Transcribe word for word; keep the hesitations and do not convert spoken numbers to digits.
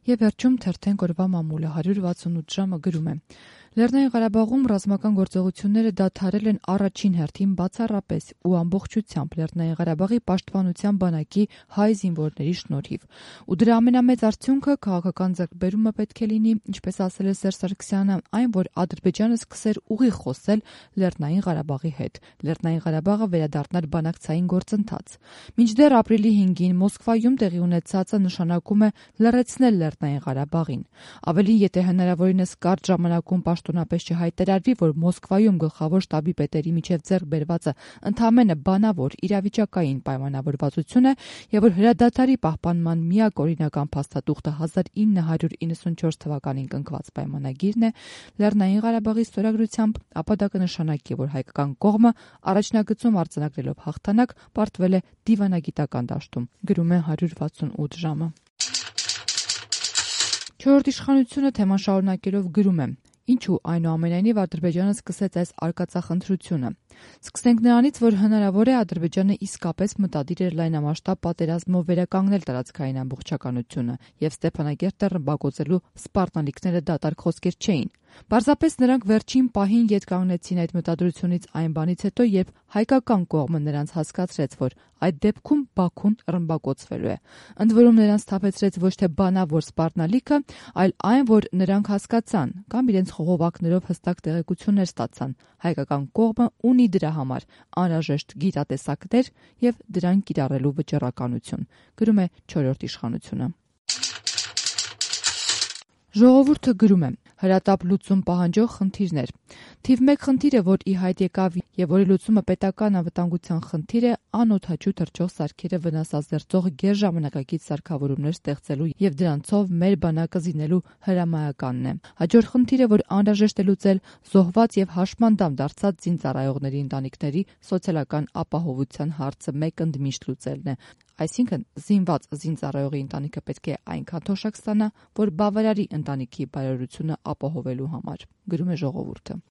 Եվ վերջում թերթենք օրվա մամուլը հարյուր վաթսունութ ժամը գրում է. Լեռնային Ղարաբաղում ռազմական գործողությունները դադարել են առաջին հերթին բացառապես ու ամբողջությամբ Լեռնային Ղարաբաղի պաշտպանության բանակի հայ զինվորների շնորհիվ։ Ու դրա ամենամեծ արդյունքը քաղաքական ձեռքբերումը պետք է լինի, ինչպես ասել է Սերժ Սարգսյանը, այն, որ Ադրբեջանը սկսեր ուղիղ խոսել Լեռնային Ղարաբաղի հետ։ Լեռնային Ղարաբաղը վերադառնար բանակցային գործընթաց։ Մինչդեռ ապրիլի հինգին Մոսկվայում տեղի ունեցածը նշանակում է լռեցնել Լեռնային Ղարաբաղին։ Ավելին, եթե հնարավորինս կարճ ժամանակում պաշտոնապես չհայտարարվի, որ Մոսկվայում գլխավոր շտաբի պետերի միջև ձեռք բերվածը ընդամենը բանավոր իրավիճակային պայմանավորվածություն է եւ որ հրադադարի պահպանման միակ օրինական փաստաթուղթը հազար ինը հարյուր իննսունչորս թվականին կնքված պայմանագիրն է, Լեռնային Ղարաբաղի ստորագրությամբ, ապա դա կնշանակի, որ հայկական կողմը առաջնագծում արձանագրելով հաղթանակ պարտվել է դիվանագիտական դաշտում, գրում է հարյուր վաթսունութ ժամը։ Չորրորդ իշխանությունը թեման շարունակելով գրում է. Ինչու այնուամենայնիվ Ադրբեջանը սկսեց այս արկածախնդրությունը։ Սկսենք նրանից, որ հնարավոր է Ադրբեջանը իսկապես մտադիր էր լայնամասշտաբ պատերազմով վերականգնել տարածքային ամբողջականությունը եւ Ստեփանագերտը ռմբակոծելու սպառնալիքները դատարկ խոսքեր չէին։ Պարզապես նրանք վերջին պահին ետ կանգնեցին այդ մտադրությունից այն բանից հետո, երբ հայկական կողմը նրանց հասկացրեց, որ այդ դեպքում Բաքուն ռմբակոծվելու է։ Ընդ որում նրանց թափեցրեց ոչ թե բանավոր սպառնալիքը, այլ այն, որ նրանք հասկացան կամ իրենց խողովակներով հստակ տեղեկություններ ստացան։ Հայկական կողմը ունի դրա համար անհրաժեշտ գիտատեսակներ եւ դրան կիրառելու վճռականություն, գրում է չորրորդ իշխանությունը։ Ժողովուրդը գրում է. հրատապ լուծում պահանջող խնդիրներ։ Թիվ մեկ խնդիրը, որ ի հայտ եկավ եւ որի լուծումը պետական անվտանգության խնդիր է, անօդաչու թռչող սարքերը վնասազերծող գերժամանակակից սարքավորումներ ստեղծելու եւ դրանցով մեր բանակը զինելու հրամայականն է։ Հաջորդ խնդիրը, որ անհրաժեշտ է լուծել, զոհված եւ հաշմանդամ դարձած զինծառայողների ընտանիքների սոցիալական ապահովության հարցը մեկ ընդմիշտ լուծելն է։ Այսինքն զինված զինծառայողի ընտանիքը պետք է այնքան թոշակ ստանա, որ բավարարի ընտանիքի բարօրությունը ապահովելու համար, գրում է ժողովուրդը։